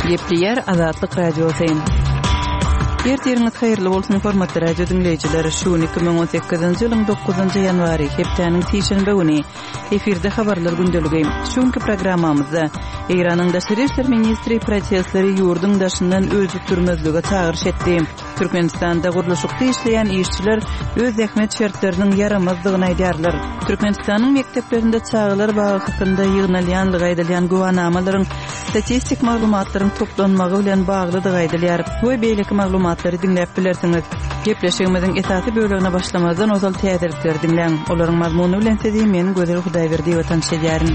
Gepleýär Azatlyk Radiosy. Ertiriňiz haýyrly bolsun, hormatly radio diňleýjiler! Şu gün 2018-nji ýylyň 9-njy ýanwary, hepdäniň sişenbe güni. Efirde habarlar gündeligi. Şu günki programmamyzda Eýranyň daşary işler ministri protestleri ýurduň daşyndan öjükdirmezlige çagyryş etdi. Türkmenistanda gurluşykda işleýän işçiler öz zähmet şertleriniň ýaramazdygyny aýdýarlar. Türkmenistanyň mekdeplerinde çagalar bagy hakynda ýygnalýanlygy aýdylýan güwanamalaryň statistik maglumatlaryň toplanmagy bilen baglydygy aýdylýar we beýleki maglumatlary diňläp bilersiňiz. Gepleşigimiziň esasy bölegine başlamazdan ozal täzelikleri diňläň. Olaryň mazmuny bilen sizi men Gözel Hudaýberdiýewa tanyş edýärin.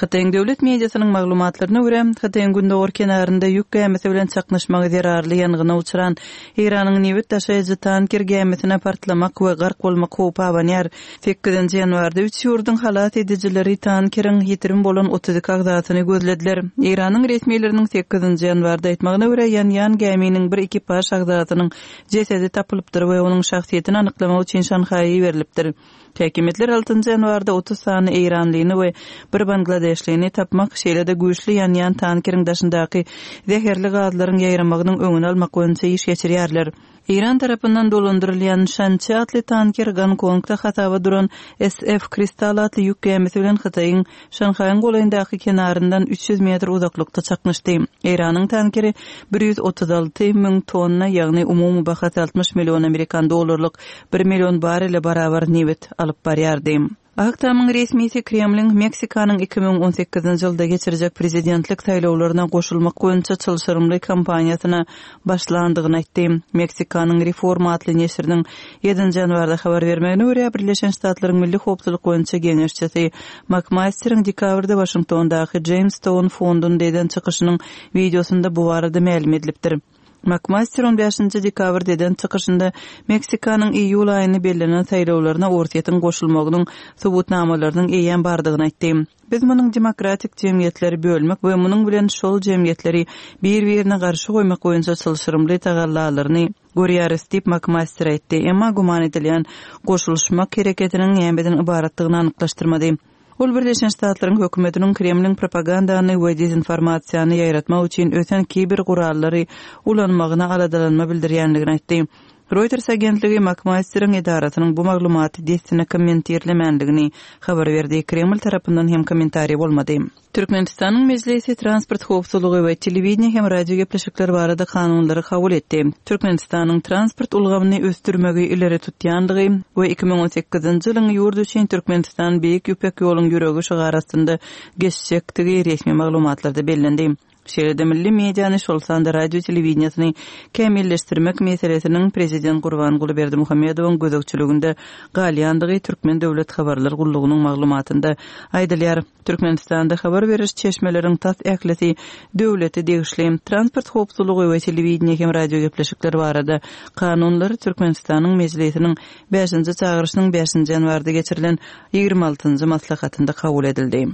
Hytaýyň döwlet mediasynyň maglumatlaryna görä, Hytaýyň gündogar kenarynda ýük gämisi bilen çaknyşmagy zerarly ýangyna uçran Eýranyň nebit daşaýjy tanker gämisine partlamak we gark bolmak howpy abanýar. Sekizinji ýanwarda üç ýurduň halas edijileri tankeriň ýitirim bolan 32 agzasyny gözlediler. Eýranyň resmileriniň sekizinji ýanwarda aýtmagyna görä, ýanýan gäminiň bir ekipaž agzasynyň jesedi tapylypdyr we onuň şahsyýetini anyklamak üçin Şanhaýa iberilipdir. Häkimiýetler altynjy ýanwarda 30 sany eýranlyny we bir bangladeşlini tapmak, şeýle-de güýçli ýanýan tankeriň daşyndaky zäherli gazlaryň ýaýramagynyň öňüni almak boýunça iş geçirýärler. Eýran tarapyndan dolandyrylýan Şançi atly tanker Gonkongda hasaba duran SF Kristal atly ýük gämisi bilen Hytaýyň Şanhaýyň golaýyndaky kenaryndan 300 metr uzaklykda çaknyşdy. Eýranyň tankeri 136 müň tonna, ýagny umumy bahasy 60 million amerikan dollarlyk bir million barrele barabar nebit alyp barýardy. Ak Tamyň resmisi Kremliň Meksikanyň 2018-nji ýylda geçirjek prezidentlik saýlawlaryna goşulmak boýunça çylşyrymly kampaniýasyna başlandygyny aýtdy. Meksikanyň Reforma atly neşiriniň ýedinji ýanwarda habar bermegine görä, Birleşen Ştatlaryň Milli howpsuzlyk boýunça geňeşçisi Makmasteriň dekabrda Waşingtondaky Jamestown fondunda eden çykyşynyň wideosynda bu barada mälim edilipdir. Makmaster on bäşinji dekabrda eden çykyşynda Meksikanyň iýul aýynda bellenen saýlawlaryna Orsýetiň goşulmagynyň subutnamalarynyň eýýäm bardygyny aýtdy. Biz munuň demokratik jemgyýetleri bölmek we munuň bilen şol jemgyýetleri bir-birine garşy goýmak boýunça çylşyrymly tagallalaryny görýäris diýip, Makmaster aýtdy, emma güman edilýän goşulyşmak hereketiniň nämeden ybaratdygyny anyklaşdyrmady. Ol Birleşen Ştatlaryň hökümetiniň Kremliň propagandany we dezinformasiýany ýaýratmak üçin ösen kiber gurallary ulanmagyna aladalanma bildirýändigini aýtdy. Reuters agentligi Makmasteriň edarasynyň bu maglumaty dessine kommentirlemändigini habar berdi. Kreml tarapyndan hem kommentariý bolmady. Türkmenistanyň Mejlisi transport howpsuzlygy we telewideniýe hem radio gepleşikler barada kanunlary kabul etdi. Türkmenistanyň transport ulgamyny ösdürmegi ileri tutýandygy we 2018-nji ýylyň ýurt üçin Türkmenistan Beýik Ýüpek ýoluň ýüregi şygary astynda geçjekdigi resmi maglumatlarda bellendi. Şeýle-de milli mediany, şol sanda radio-telewideniýesini kämilleşdirmek meselesiniň prezident Gurbanguly Berdimuhamedowyň gözegçiliginde galýandygy Türkmen döwlet habarlar gullugynyň maglumatynda aýdylýar. Türkmenistanda habar beriş çeşmeleriň tas ählisi döwlete degişli. Transport howpsuzlygy we telewideniýe hem radiogepleşikler barada kanunlar Türkmenistanyň Mejlisiniň bäşinji çagyryşynyň bäşinji ýanwarda geçirilen 26-njy maslahatynda kabul edildi.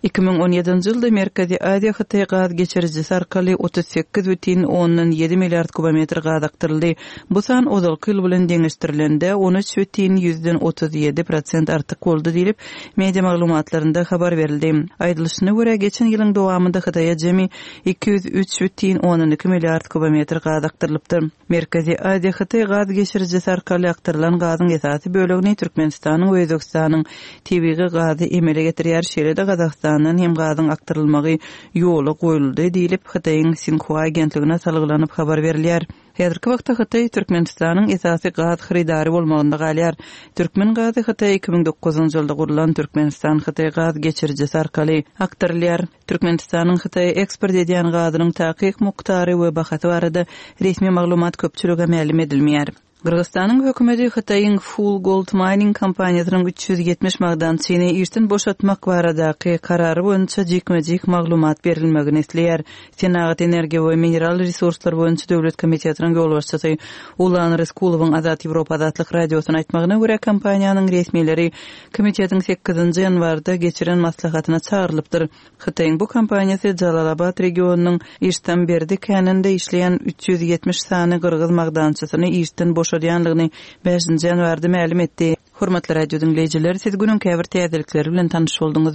2017-nji ýylda Merkezi Aziýa-Hytaý gaz geçirijisi arkaly 38,7 milliard kubometr gaz akdyryldy. Bu san ozalky ýyl bilen deňeşdirilende, 13,37 prosent artyk boldy diýlip, media maglumatlarynda habar berildi. Aýdylyşyna görä, geçen ýylyň dowamynda Hytaýa jemi 203,2 milliard kubometr gaz akdyrylypdyr. Merkezi Aziýa-Hytaý gaz geçirijisi arkaly akdyrylan gazyň esasy bölegini Türkmenistanyň we Özbegistanyň tebigy gazy emele getirýär, şeýle-de Gazagystandan hem gazyň akdyrylmagy ýola goýuldy diýlip, Hytaýyň Sinhua agentligine salgylanyp habar berilýär. Häzirki wagtda Hytaý Türkmenistanyň esasy gaz hyrydary bolmagynda galýar. Türkmen gazy Hytaýa 2009-njy ýylda gurlan Türkmenistan-Hytaý gaz geçirijisi arkaly akdyrylýar. Türkmenistanyň Hytaýa eksport edýän gazynyň takyk mukdary we bahasy barada resmi maglumat köpçülige mälim edilmeýär. Gyrgyzystanyň hökümeti Hytaýyň Full Gold Mining kompaniýasynyň 370 magdançyny işden boşatmak baradaky karary boýunça jikme-jik maglumat berilmegini isleýär. Senagat, energiýa we mineral resurslar boýunça döwlet komitetiniň ýolbaşçysy Ulan Ryskulowyň Azat Ýewropa Azatlyk Radiosyna aýtmagyna görä, kompaniýanyň resmileri komitetiň sekizinji ýanwarda geçiren maslahatyna çagyrylypdyr. Hytaýyň bu kompaniýasy Jalalabat regionynyň Iştamberdi käninde işleýän 370 sany gyrgyz magdançysyny işden boşadýandygyny bäşinji ýanwarda mälim etdi. Hormatly radio diňleýjiler, siz günüň käbir täzelikleri bilen tanyş bolduňyz.